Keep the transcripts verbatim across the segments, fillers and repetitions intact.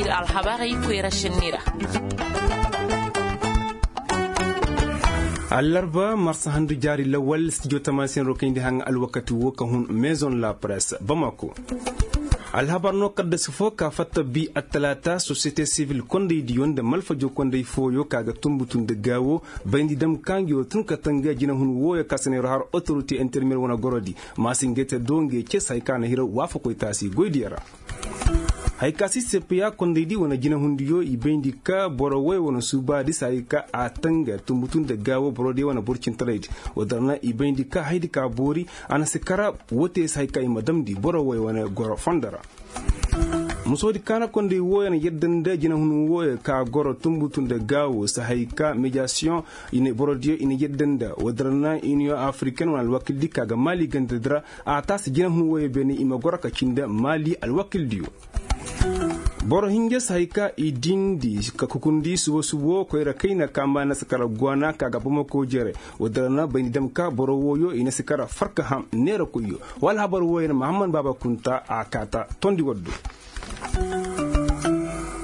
Alhabarey koyra šenni ra. Allarba marsa handu jaari lawal stijo tamasin ro kayndi haŋ alwakati wo ka hun maison la presse bamako. Alhabar no kaddasi fo ka fatta bi attalaata sosiyete sivil kondaydiyo nda malfajo konday fooyo ka ga tumbutu nda gaawo bayndi dam ka ngi wo tun ka tanga jinahun wooyo ka se neero har otorite intermedier wane gorodi. Ma si ngey te do ngey cee si hay ka na hira waafakoy taasi goydiyo ra. Hay ka si sepeya kondaydi wane jinahundiyo i bayndi ka boro woy wane suubaadi si hay ka a tanga tumbutu nda gaawo borodiyo wane borcintaraydi. Woo dira na i bayndi ka haydi ka boori a na si kara woo te si hay ka i ma damndi boro woy wane goro fondo ra. Musoodi kaana konday wooyo na yadda nda jinahun wooyo ka goro tumbutu nda gaawo si hay ka mediyasiyoŋ. Borodiyo i na yadda nda woo dira na iniyoŋ afiriken wane alwakildi ka ga maali gandadi ra. A taasi jinahun wooyo beene i ma goro ka cindi maali alwakildiyo. Boro hinja si hay ka i dindi ka kukundi subo subo koyra kayna ka mba na si kara gwaana ka ga bamako jere. Woo dira na bayndi dam ka boro wooyo i na si kara farka ham neerakoyyo. Woo alhabar wooyo na mahammad baaba kunta a kaata tondi waddu.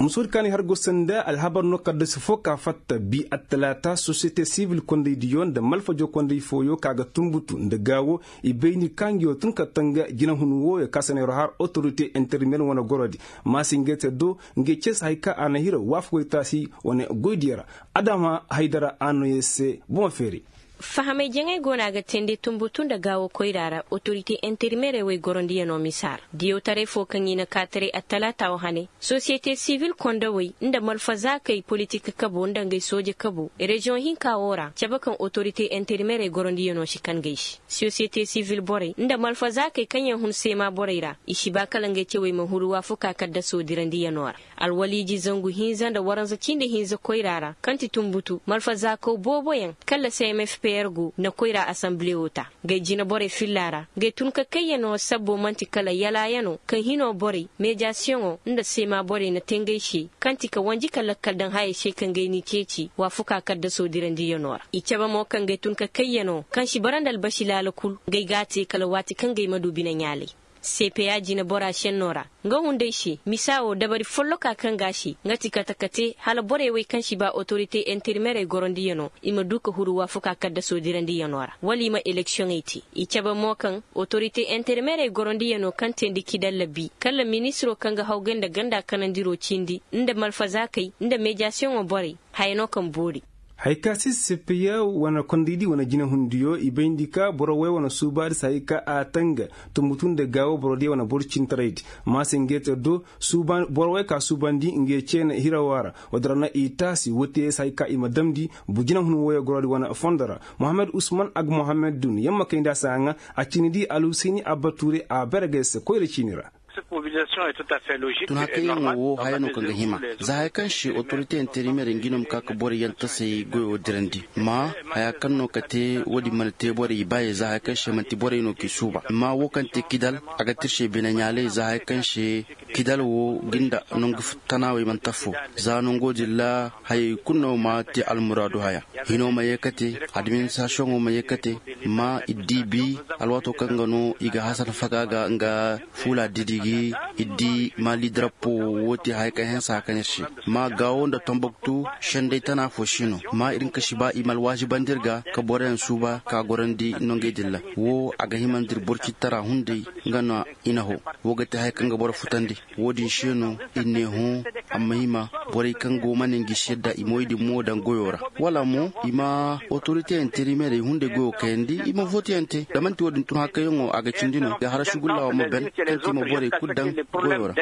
Musoodi ka ni har go sanda alhabar no kaddasi fo ka fatta bi attalaata sosiyete sivil kondaydiyo nda malfajo konday fooyo ka ga tumbutu nda gaawo. I bayndi ka ngi wo tun ka tanga jinahun wooyo ka se neero har otorite intermedier wane gorodi. Ma si ngey te do ngey cee si hay ka a na hira waafakoy taasi wane goydiyo ra. Adama haydara a no yer se boŋ feeri. Fahamay jaŋay go no a ga teendi tumbutu nda gaawo koyra ra otorite intermedier wey gorondiyanoo misa ra diyawtaray fo kaŋ i na kaataray attalaata wo hane. Sosiyete sivil kondawey nda malfazaakey politik kabo nda ngey sooje kabo reziyoŋ hinka wo ra cabe kaŋ otorite intermedier gorondiyanoo si kan gay se. Sosiyete sivil borey nda malfazaakey kaŋ yaŋ hun seema borey ra i si ba kala ngey cewey ma huru waafakaa kaddasoo dirandiyanoo ra. Alwaliiji zangu hinza nda waranza cindi hinza koyra ra kaŋ ti tumbutu malfazaakaw booboyaŋ kala cmfpr go na koyra asanbile wo ta. Ngey jineborey filla ra ngey tun ka kayyanoo sabbo man'ti kala yalaayanoo kaŋ hinoo borey meediyasiyoŋoo nda seema borey na te ngey se kaŋ ti ka wanji ka lakkal daŋ hayey se kaŋ ngey n'i ceeci waafakaa kaddasoo dirandiyanoo ra. I cabe mo kaŋ ngey tun ka kayyanoo kaŋ si bara nda albasi laala kul ngey g'a te kala waati kaŋ ngey ma du bineɲaalay. Seepeya jineboraa šennoo ra nga hunday se misa woo dabari follokaa kaŋ ga a se nga ti kate kate hala borey wey kaŋ si ba otorite interimerey gorondiyanoo i ma duu ka huru waafakaa kaddasoo dirandiyanoo ra wala i ma eleksiyoŋey te. I cabe mo kaŋ otorite interimerey gorondiyanoo kaŋ teendi kidalla bi kala ministiroo kaŋ ga hawgay nda ganda kanandiroo cindi nda malfazaakey nda meediyasiyoŋoo borey haya no kaŋ boori. Haya ka si sepeya wane kondaydi wane jinehundiyo i bayndi ka boro wey wane suubaadi si haya ka a tanga tumbutu nda gaawo borodiyo wane boro cintaraydi. Maase ngey te do boro wey ka suubandi ngey ceene hirawa ra. Woodi ra na i taasi woo te si haya ka i ma damndi jinehun woyoo gorodi wane fondo ra. Mohammed usman agmohammed dun yamma kay nda a si haŋa a cindi di alhusayni abba tuure a bare ga ay se koyra ciini ra. Tun hakayyaŋo wo haya no kaŋ ga hima za haya kaŋ se otorite interimer ngi no ma ka ka boro yaŋ tasay goyo dirandi. Ma haya kaŋ no ka te woodin mana te borey i baayey za haya kaŋ se man'ti borey no k'i suuba ma wo kaŋ te kidal a ga tirse bine ɲaalay za haya kaŋ se kidal wo ga nda nangu tanaawey mana tafo. Za nangoo din ra hayey kul no ma te almuraadu haya. Hinoo ma yee kate, administirasiyoŋoo ma yee kate, ma ir di bi alwaatoo kaŋ ga no i ga hasan faga ga nga fuula didi gi. Ir di maali darappoo woo te haya kaŋ hanse haya kaŋ ir se ma gaawo nda tomboktu senday tana fo si no ma ir nka si ba i ma alwaazibandi ir ga ka boroyaŋ suuba ka gorandi nongey din ra. Woo a ga himandi ir borcitara hunday nga no i na hoo. Woo ga te haya kaŋ ga boro futandi. Woodin se no ir ne hõ a ma hima borey kaŋ go ma ne ngi si yadda i moy din mo daŋ goyo ra wala mo i ma otorite interimerey hunday goyo kayandi i ma vooteyante da man'ti woodin tun hakayyaŋo a ga cindi no ga hara sugulla wo ma ben kaŋ ti i ma borey kul daŋ goyo ra.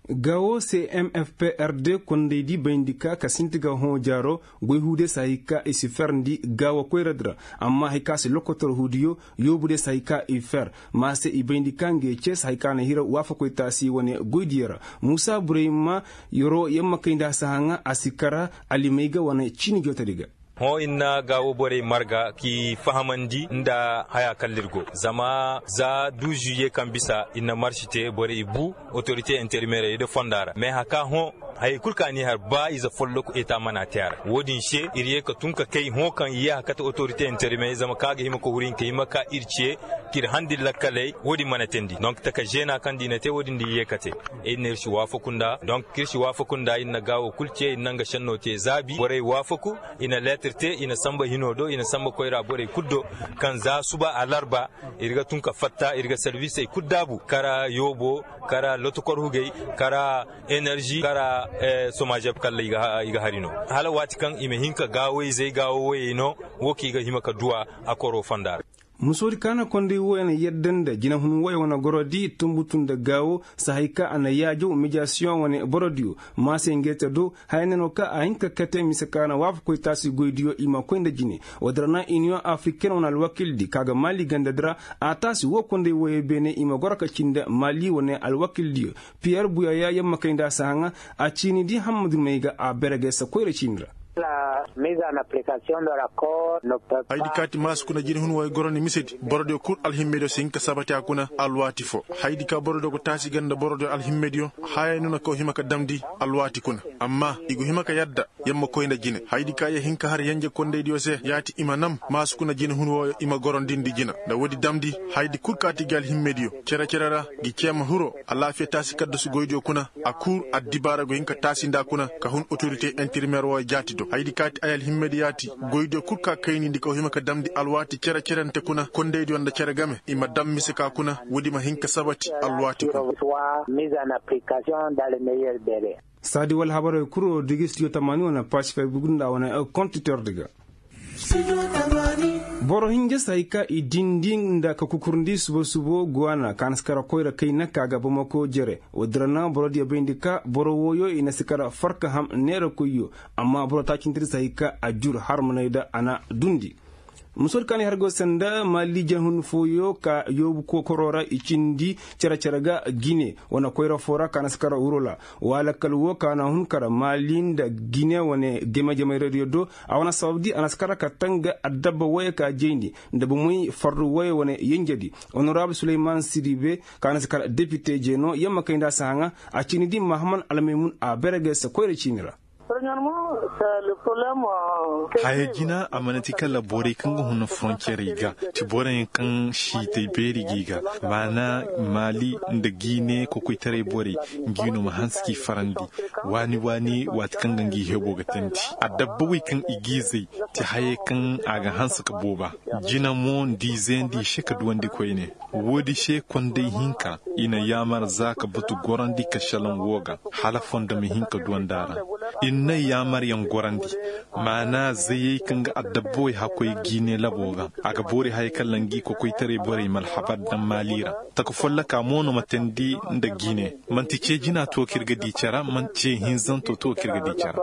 Gawo cmfprd kondaydi bayndi ka ka sinti ga hõ jaaro goy huudiyo si hay ka i si ferndi gaawo koyradi ra. Amma hay ka si lokotor huudiyo yoobudiyo si hay ka i fer. Ma se i bayndi ka ngey ce si hay ka na hira waafakoy taasi wane goydiyo ra. Muusa burayma yoro yamma kay nda a si haŋa a si kara alimay ga wane ciini jootadi ga. Hõ ir na gaawo borey marga k'i fahamandi nda haya kaŋ ra ir go zama za du žuwiye kaŋ bisa ir na marši te borey bu, otorite interimeerey nda fonda ra mais haka hõ, hayey kul kaŋ a n'i har ba ize folloku eta mana te a ra wo-din se ir ye ka tun ka kay hõ kaŋ i ye haka te otorite interimeerey zama kaŋ a ga hima ka huru hinka hima ka ir ce, k'ir handi lakkaley wo-din mana teendi donk taka zeena kaŋ da i na te wo-din da i ye ka te. Ir na ir si waafaku nda donk k'ir si waafaku nda ir na gaawo kul ce ir na nga senno te zaabi borey waafaku, i na leetir te i na sanba hino do i na sanba koyra borey kul do, kaŋ za suba alarba, ir ga tun ka fatta ir ga servisey kul daabu kara yoobo, kara lotokor hugey, kara enerži kara, somazeb kalla i ga hari no, hala waati kaŋ i ma hin ka gaawo-izey gaawo woyey no, wo kaŋ i ga hima ka duw'a a koro fonda ra. Musoodi kaana konday wooyo na yadda nda jinahun wooyo wane gorodi tumbutu nda gaawo, sahay ka a na yaajaw mediyasiyoŋ wane borodiyo, maasey ngey te do, haya ne no ka a hin ka kate mise ka na waafakoy taasi goydiyo i ma koy nda jine. Woodin ra na iniyoŋ afriken wane alwakildi ka ga maali gandadi ra, a taasi woo konday wooyo beene i ma goro ka cindi maali wane alwakildiyo. Piyer buyaya yer ma kay nda a si haŋa, a ciinidi hammadu may ga a berege se koyra ciini ra. Haydi kaati maasi kuna jinahun wooyo goroni misedi borodiyo kul alhimmediyo si hin ka sabati a kuna alwaati foo. Haydi ka borodiyo go taasi ganda borodiyo alhimmediyo, hayey no na kaw hima ka damndi alwaati kuna. Amma i go hima ka yadda, yer ma koy nda jine haydi ka yer hin ka har yenje kondaydiyo se yaati i ma nam maasi kuna jinahun wooyo i ma gorondindi jina nda woodi damndi. Haydi kul kaati gi alhimmediyo cere-cere ra, gi ceema hiro alaafiya taasi kaddasu goydiyo kuna, a kul addibaara go hin ka taasi nda kuna ka hun otorite interimeer wooyo jaati do haydi kaati ay alhimmediyo yaati. Goydiyo kul ka kaynindi ka hima ka damndi alwaati cere-cerente kuna kondaydiyo nda cere game i ma dam mise ka kuna woodi ma hin ka sabati alwaati kuna. Saadi wala habarey kuro digistiyo tamaani wane paasi fay bugunda wane kontiterdi ga. Boro hinja se hay ka i dindi nda ka kukurndi subo-subo guwaana ka na si kara koyra kayna ka ga bamako jere. Woodin ra na borodiyo bayndi ka boro wooyo i na si kara farka ham neera koyyo. Amma boro taacintedi se hay ka a jur harmaney da a na dundi. Musoodi ka na i har go sanda maali janhun fooyo ka yoobu kokoroo ra i cindi cere-cere ga gine wane koyra foo ra ka na si kara wurola. Wala kala woo ka na hun kara maali nda gine wane game-jamey radiyo do. A wane sababdi a na si kara ka tanga addabba wooyo ka jayndi nda bomoy fardu wooyo wane yenjedi. Onorabul suleyman siribe ka na si kara depite jeeno yamma kay nda a si haŋa. A ciinidi mahaman almaymun a berege se koyra ciini ra. Haya jina a mana ti kala borey kaŋ ga huna foroncerey ga ti borey kaŋ siitay beeri g'i ga. Maana maali nda giine kokoytaray borey ngi no ma hanse k'i farandi. Waani waani waati kaŋ ga ngi hebo ga tandi adabba wey kaŋ i g'i zay ti hayey kaŋ a ga hanse ka booba. Jina mo nda i zeendi i se ka duwandi koyne. Woodi se konday hinka i na yaamar za ka batu gorandi ka šelaŋ woo ga hala fondo ma hin ka duwandi a ra. Ir na yaamaryaŋ gorandi. Maana zayey kaŋ ga adabba wey hakkoy giine laboo ga a ga boori hayey kaŋ ra ngi kokoytaray borey ma alhabar daŋ maali ra. Taka folloka mo no ma teendi nda giine. Man'ti cee jina to kaŋ ir ga di cere man'ti cee hinzanto to kaŋ ir ga di cere.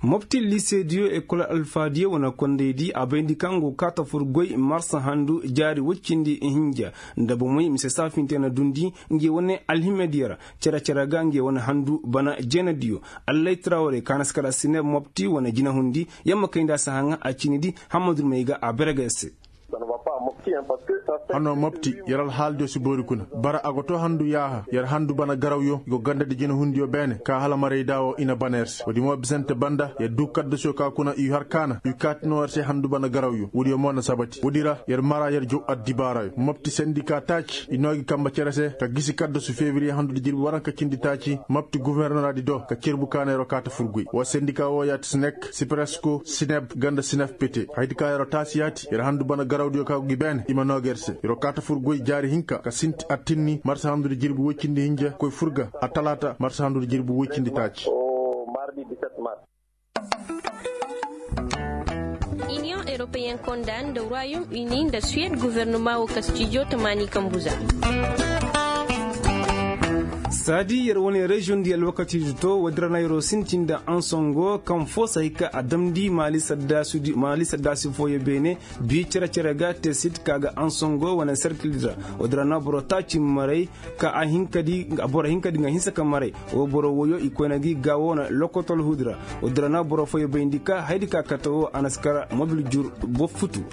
Mopti liisediyo ekol alfaadiyo wane kondaydi a bayndi kaŋ go kaa ta fur goy marsa handu jaari woy cindi hinja nda bomey mise saafinte na dundi. Ngi wane alhimmediyo ra cere-cere ga ngi wane handu bana jeenadiyo. Allay trawre ka na si kala sineb mopti wane jinahundi yamma kay nda a si haŋa a ciinidi. Hammadu may ga a berege se. Hano mopti yer alhaaldiyo si boori kuna. Bara a go too handu yaaha yer handu bana garawyo i go gandadi jinahundiyo beene ka hala marayda woo i na bana yer se woodi mo bisante banda yer duu kaddasuyo ka kuna i har kaana i kaati noo yer se handu bana garawyo woodiyo mo na sabati woodi ra yer mara yer jow addibaarayo mopti sendika taaci i noo gi kamba cere se ka gisi kaddasu febriye handudi jirbi waranka cindi taaci mopti guwernoradi do ka cerbu kaana yer woo kaata fur goy woo sendika woo yaati sinek sipresko sineb ganda sineb pete haydi ka yer woo taasi yaati yer handu bana garawdiyo ka go gi beene i ma noo ga yer se yer woo kaata fur goy jaari hinka ka sinti attinni marsa handudi jirbi woy cindi hinja koy fur ga attalaata marsa handudi jirbi woy cindi taaci. Iniyoŋ eropeyen konda nda ruwayom ini nda suwed gofornoma woo kastijo tamaani kambuza. Saadi yer wane reziyoŋ di alwakati di to woodin ra na yeroo sintin nda ansongo kaŋ foo si hay ka a damndi maali saddaasi fooyo beene. Bii cere-cere ga te sit ka ga ansongo wane serkil di ra. Woodin ra na boro taaci maray ka a hinka di nga hinsa ka maray. Woo boro woyo i koyna gi gaawo wane lokotol huudi ra. Woodin ra na boro fooyo bayndi ka hayadi ka kate woo a na si kara mobil jur boo futu.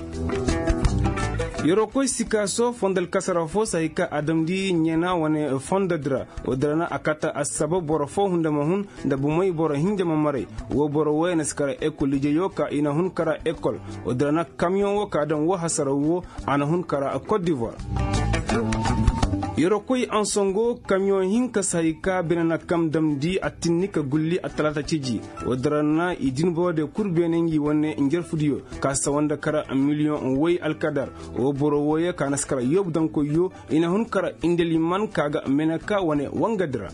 Yeroo koy sikaaso fondo alkasara foo si hay ka a damndi ɲena wane fondo di ra. Woodin ra na a kate assaba boro foo hunda ma hun nda bumey boro hinja ma maray. Woo boro wooyo na si kara ekol lijeyo ka i na hun kara ekol. Woodin ra na kamiyoŋ woo ka daŋ woo hasaraw woo a na hun kara kot divoir. Yeroo koy ansongo kamiyoŋ hinka si hay ka bine na kam damndi a tinni ka gulli attalaata ciji. Woodin ra na i din boro de kul beene ngi wane njarfudiyo ka sawa nda kara miliyoŋ woy alkadar. Woo boro wooyo ka na si kara yoobu daŋkoyyo i na hun kara indeliman ka ga meneka wane wangadi ra.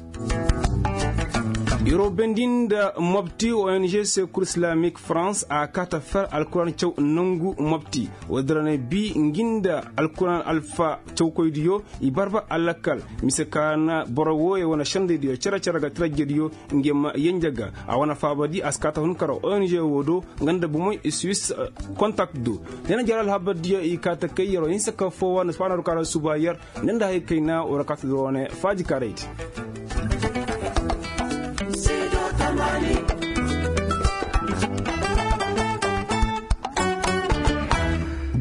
Yeroo bendi nda mobti ong sekur islamik farans a kaata fer alkuran caw nangu mobti. Woodin ra na bii ngi nda alkuran alfa cawkoydiyo i barbar alakal mise ka na boro wooyo wane sendaydiyo cere-cere ga tarajjediyo nge ma yenje ga. A wane faabadi a si kaata hun kara ong woo do nga nda bumey i suis kontak do. Ne na jara alhabardiyo i kaata kay yeroo hinsa ka foowa na si faana ru kara suba yer ne nda hay kayna wara kaata do wane faaji karaydi.